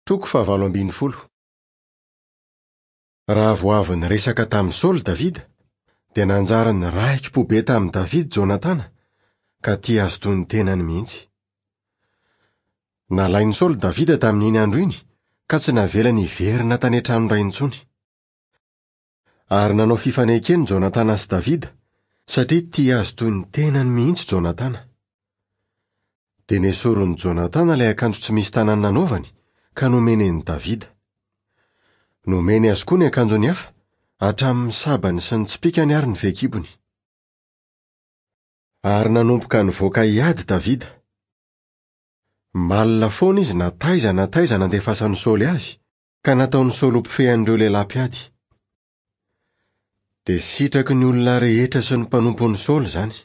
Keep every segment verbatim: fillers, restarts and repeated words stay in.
Toko fahavalo ambin'ny folo. Raha vao avy niresaka tamin'i Saoly Davida, dia nanjary niraiki-po be tamin'i Davida Jonatana, ka tia azy toy ny tenany mihitsy. Nalain'i Saoly Davida tamin'iny andro iny, ka tsy navelany hiverina tany an-tranon-dray intsony. Ary nanao fifanekena Jonatana sy Davida, satria tia azy toy ny tenany mihitsy Jonatana. Dia nesorin'i Jonatana ilay akanjo tsy misy tanany nanaovany, ka nomeny an'i Davida. Nomeny azy koa ny akanjony hafa, hatramin'ny sabany sy ny tsipìkany ary ny fehikibony. Ary nanomboka nivoaka hiady Davida. Malina foana izy na taiza na taiza nandefasan'i Saoly azy, ka nataon'i Saoly ho mpifehy an'ireo lehilahy mpiady. Dia sitraky ny olona rehetra sy ny mpanompon'i Saoly izany.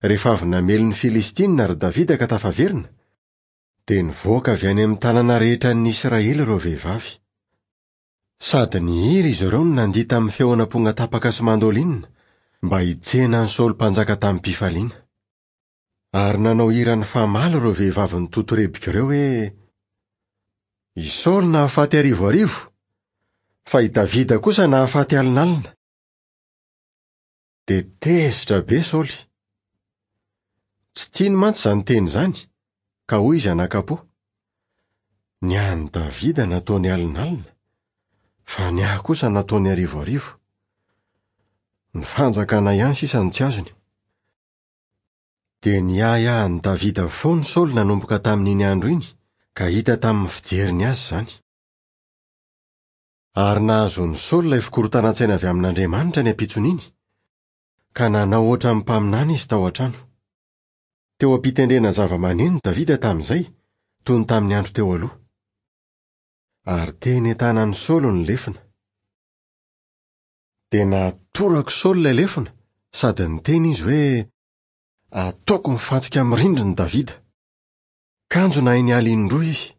Rehefa avy namely ny Filistinina ry Davida ka tafaverina, dia nivoaka avy any amin'ny tanàna rehetra an'ny Israely ireo vehivavy. Sady nihira izy ireo no nandihy tamin'ny feon'amponga tapaka sy mandolinina mba hitsena an'i Saoly mpanjaka tamim-pifaliana. Ary nanao hira nifamaly ireo vehivavy nitotorebika ireo hoe: I Saoly nahafaty arivo arivo, fa i Davida kosa nahafaty alinalina. Dia tezitra be Saoly. Tsy tiany mantsy izany teny izany, ka hoy izy anakapo: Ny an'i Davida nataony alinalina, fa ny ahy kosa nataony arivo arivo. Ny fanjakana ihany sisa no tsy azony. Dia niahiahy an'i Davida foana Saoly nanomboka tamin'iny andro iny, ka hita tamin'ny fijeriny azy izany. Ary nahazoan'i Saoly ilay fikorontanan-tsaina avy amin'Andriamanitra ny ampitson'iny, ka nanao ohatran'ny mpaminany izy tao an-trano. Teo am-pitendrena zava-maneno Davida tamin'izay, toy ny tamin'ny andro teo aloha. Ary teny an-tanan'i Saoly ny lefona. Dia natorak'i Saoly ilay lefona, sady niteny izy hoe: Ataoko mifantsika amin'ny rindrina Davida. Kanjo nahay niala indroa izy.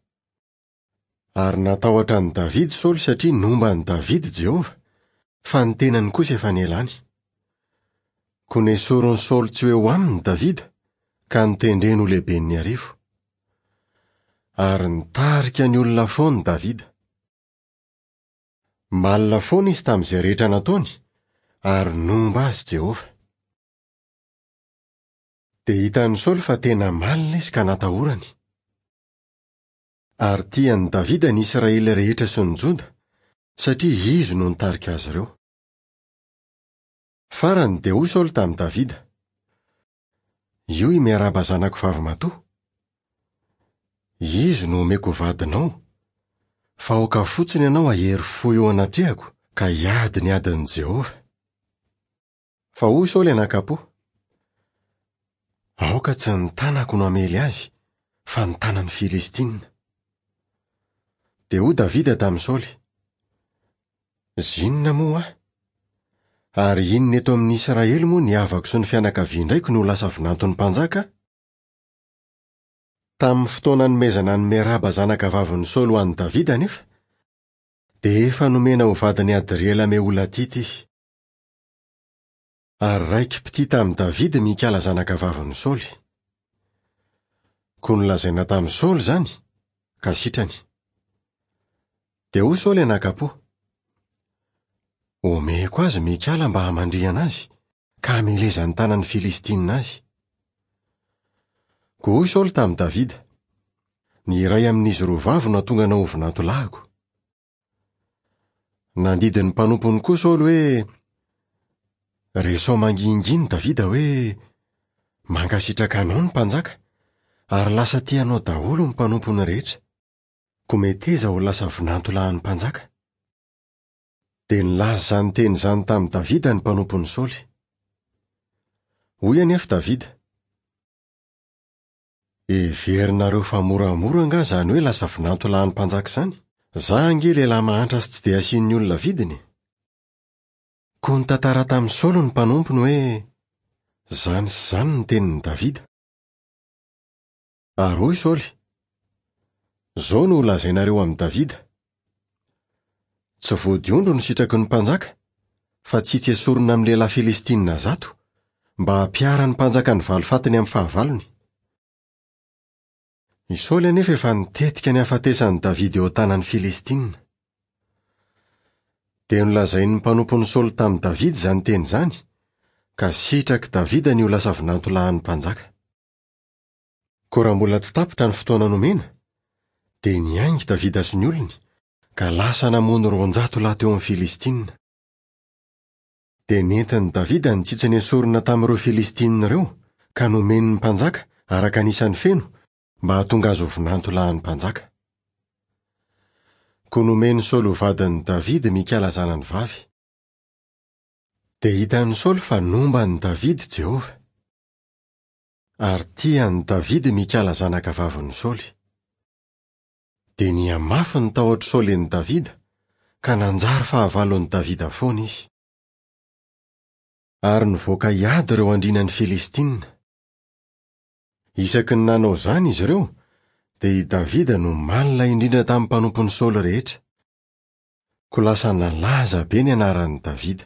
Ary natahotra an'i Davida Saoly satria nomba an'i Davida Jehovah, fa ny tenany kosa efa nialany. Koa nesorin'i Saoly tsy ho eo aminy Davida, ka notendreny ho lehiben'ny arivo. Ary nitarika ny olona foana Davida. Malina foana izy tamin'izay rehetra nataony, ary nomba azy Jehovah. Dia hitan'i Saoly fa tena malina izy ka natahorany. Ary tian'i Davida ny Israely rehetra sy ny Joda, satria izy no nitarika azy ireo. Farany dia hoy Saoly tamin'i Davida: Io i Meraba zanako vavimatoa. Izy no omeko vadinao, fa aoka fotsiny ianao hahery fo eo anatrehako ka hiady ny adin'i Jehovah. Fa hoy Saoly anakapo: Aoka tsy ny tanako no hamely azy, fa ny tanan'ny Filistinina. Dia hoy Davida tamin'i Saoly: Zinona moa aho? Ary inona eto amin'ny Israely moa ny havako sy ny fianakavian-draiko no lasa vinanton'ny mpanjaka? Tamin'ny fotoana nomezana an'i Meraba zanaka vavin'i Saoly ho an'i Davida anefa, dia efa nomena ho vadin'i Adriela Meholatita izy. Ary raiki-pitia tamin'i Davida Mikala zanaka vavin'i Saoly. Koa nolazaina tamin'i Saoly izany, ka sitrany. Dia hoy Saoly anakapo: Omeko azy Mikala mba hamandrihana azy, ka hamelezan'ny tanan'ny Filistinina azy. Koa hoy Saoly tamin'i Davida: Ny iray amin'izy roa vavy no hahatonga anao ho vinantolahiko. Nandidy ny mpanompony koa Saoly hoe: Resao mangingina Davida hoe: Mankasitraka anao ny mpanjaka, ary lasa tia anao daholo ny mpanompony rehetra. Koa meteza ho lasa vinantolahin'ny mpanjaka. Dia nilaza izany teny izany tamin'i Davida ny mpanompon'i Saoly. Hoy anefa Davida: Heverinareo fa moramora angaha izany hoe lasa vinantolahin'ny mpanjaka izany? Za ange lehilahy mahantra sy tsy dia asian'ny olona vidiny. Koa nitantara tamin'i Saoly ny mpanompony hoe: Izany sy izany ny tenin'i Davida. Ary hoy Saoly: Izao no holazainareo amin'i Davida: Tsy vodiondry no sitraky ny mpanjaka, fa tsy tsy esorina amin'ny lehilahy Filistinina zato, mba hampiharan'ny mpanjaka ny valifatiny amin'ny fahavalony. I Saoly anefa efa nitetika ny hahafatesan'i Davida eo an-tanan'ny Filistina. Dia nolazain'ny mpanompon'i Saoly tamin'i Davida izany teny izany, ka sitrak'i Davida ny ho lasa vinantolahin'ny mpanjaka. Koa raha mbola tsy tapitra ny fotoana nomena, dia niainga i Davida sy ny olony, ka lasa namono roanjato lahy teo amin'ny Filistina. Dia nentin'i Davida ny tsitsy nesorina tamin'ireo Filistina ireo, ka nomeny ny mpanjaka araka ny isany feno mba hahatonga azy ho vinantolahin'ny mpanjaka. Koa nomen'i Saoly ho vadin'i Davida Mikala zanany vavy. Dia hitan'i Saoly fa nomba an'i Davida Jehovah. Ary tia an'i Davida Mikala zanaka vavin'i Saoly. Dia nihamafy ny tahotr'i Saoly an'i Davida, ka nanjary fahavalon'i Davida foana izy. Ary nivoaka hiady ireo andrianan'ny Filistina. Isaky ny nanao izany izy ireo, dia i Davida no malina indrindra tamin'ny mpanompon'i Saoly rehetra. Koa lasa nalaza be ny anaran'i Davida.